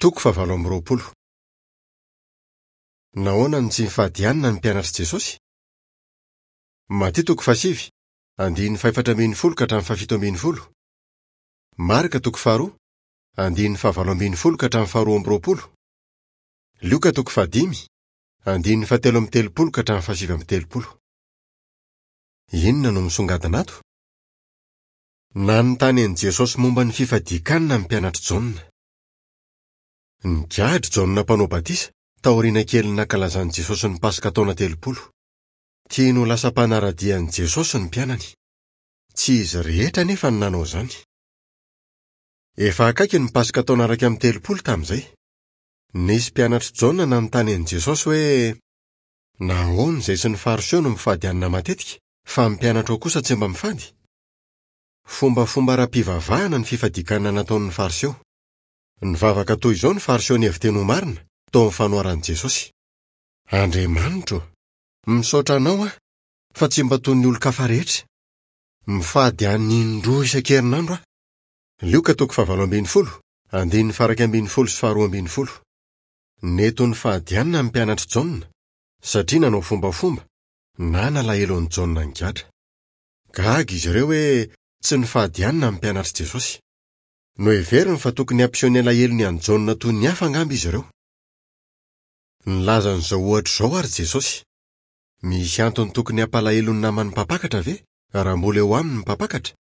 Toko fahavalo amby roapolo. Nahoana no tsy nifady hanina ny mpianatr'i Jesosy? Matio toko fahasivy, andininy fahefatra ambin'ny folo ka hatramin'ny fahafito ambin'ny folo. Marka toko faharoa, andininy fahavalo ambin'ny folo ka hatramin'ny faharoa amby roapolo. Lioka toko fahadimy, andininy fahatelo amby telopolo ka hatramin'ny fahasivy amby telopolo. Inona no misongadina ato? Nanontany an'i Jesosy momba ny fifadian-kanina ny mpianatr'i Jaona. Nigadra i Jaona Mpanao Batisa, taoriana kelin'ny nankalazan'i Jesosy ny Paska taona 30. Tiany ho lasa mpanara-dia an'i Jesosy ny mpianany. Tsy izy rehetra anefa no nanao izany. Efa akaiky ny Paska taona 31 tamin'izay. Nisy mpianatr'i Jaona nanontany an'i Jesosy hoe, Nahoana izay sy ny Fariseo no mifady hanina matetika, fa ny mpianatrao kosa tsy mba mifady? Fombafomba ara-pivavahana ny fifadian-kanina nataon'ny Fariseo. Nivavaka toy izao ny Fariseo nihevi-teny ho marina, tao amin'ny fanoharan'i Jesosy, Andriamanitro ô, misaotra Anao aho, fa tsy mba toy ny olon-kafa rehetra. Mifady hanina indroa isan-kerinandro aho. Lioka toko fahavalo ambin'ny folo, andininy faha-iraika ambin'ny folo sy faharoa ambin'ny folo. Nety ho nifady hanina ny mpianatr'i Jaona, satria nanao fombafomba, na nalahelo an'i Jaona nigadra. Gaga izy ireo hoe tsy nifady hanina ny mpianatr'i Jesosy. Noheveriny fa tokony hampiseho ny alahelony an'i Jaona toy ny hafa angamba izy ireo. Nilaza an'izao ohatra izao àry Jesosy, Misy antony tokony hampalahelo ny naman'ny mpampakatra ve, raha mbola eo aminy ny mpampakatra?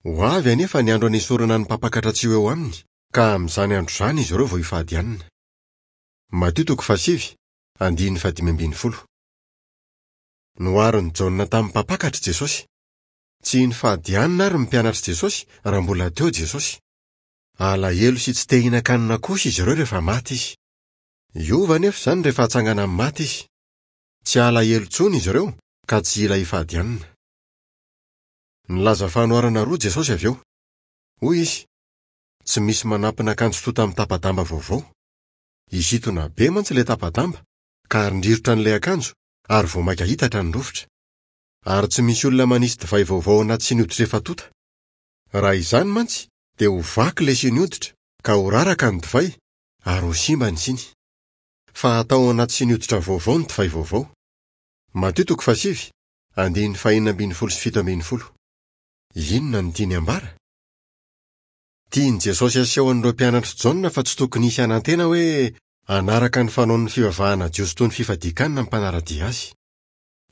Ho avy anefa ny andro hanesorana ny mpampakatra tsy ho eo aminy, ka amin'izany andro izany izy ireo vao hifady hanina. Matio toko fahasivy, andininy fahadimy ambin'ny folo. Noharin'i Jaona tamin'ny mpampakatra i Jesosy. Tsy nifady hanina àry ny mpianatr'i Jesosy raha mbola teo Jesosy. Alahelo sy tsy te hihinan-kanina kosa izy ireo rehefa maty izy. Hiova anefa izany rehefa hatsangana amin'ny maty izy. Tsy halahelo intsony izy ireo ka tsy hila hifady hanina. Nilaza fanoharana roa Jesosy avy eo. Hoy izy, Tsy misy manampina akanjo tonta amin'ny tapa-damba vaovao. Hisintona be mantsy ilay tapa-damba, ka harindrirotra an'ilay akanjo, ary vao mainka hitatra ny rovitra. Ary tsy misy olona manisy divay vaovao ao anaty siny hoditra efa tonta. Raha izany mantsy, dia ho vaky ilay siny hoditra, ka ho raraka ny divay, ary ho simba ny siny. Fa atao ao anaty siny hoditra vaovao ny divay vaovao. Matio toko fahasivy, andininy fahenina ambin'ny folo sy fito ambin'ny folo. Inona no tiany hambara? Tian'i Jesosy haseho an'ireo mpianatr'i Jaona fa tsy tokony hisy hanantena hoe hanaraka ny fanaon'ny fivavahana jiosy toy ny fifadian-kanina ny mpanara-dia azy.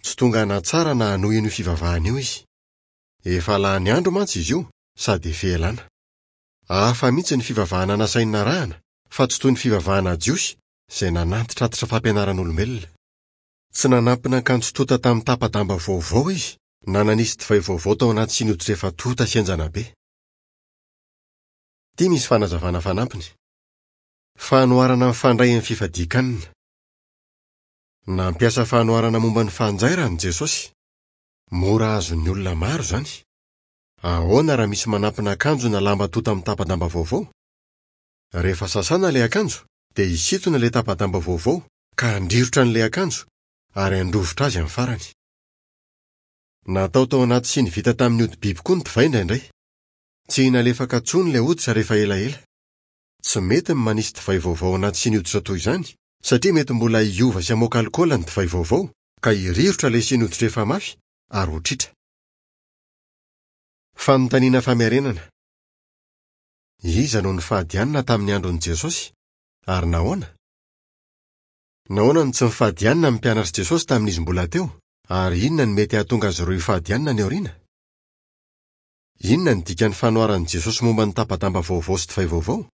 Tsy tonga hanatsara na hanohy an'io fivavahana io izy. Efa lany andro mantsy izy io sady efa elana. Hafa mihitsy ny fivavahana nasainy narahana fa tsy toy ny fivavahana jiosy izay nanantitrantitra fampianaran'olombelona. Tsy nanampina akanjo tonta tamin'ny tapa-damba vaovao izy na nanisy divay vaovao tao anaty siny hoditra efa tonta sy henjana be. Ity misy fanazavana fanampiny. Fanoharana mifandray amin'ny fifadian-kanina. Nampiasa fanoharana momba ny fanjairana i Jesosy. Mora azon'ny olona maro izany. Ahoana raha misy manampina akanjo na lamba tonta amin'ny tapa-damba vaovao? Rehefa sasana ilay akanjo, dia hisintona ilay tapa-damba vaovao ka handrirotra an'ilay akanjo ary handrovitra azy amin'ny farany. Natao tao anaty siny vita tamin'ny hodi-biby koa ny divay indraindray. Tsy nalefaka intsony ilay hoditra rehefa elaela. Tsy mety ny manisy divay vaovao anaty siny hoditra toy izany, satria mety mbola hiova sy hamoaka alikaola ny divay vaovao, ka hirirotra ilay siny hoditra efa mafy ary ho tritra. Fanontaniana famerenana, Iza no nifady hanina tamin'ny andron'i Jesosy, ary nahoana? Nahoana no tsy nifady hanina ny mpianatr'i Jesosy tamin'izy mbola teo, ary inona no mety hahatonga azy ireo hifady hanina any aoriana? Inona no dikan'ny fanoharan'i Jesosy momba ny tapa-damba vaovao sy divay vaovao?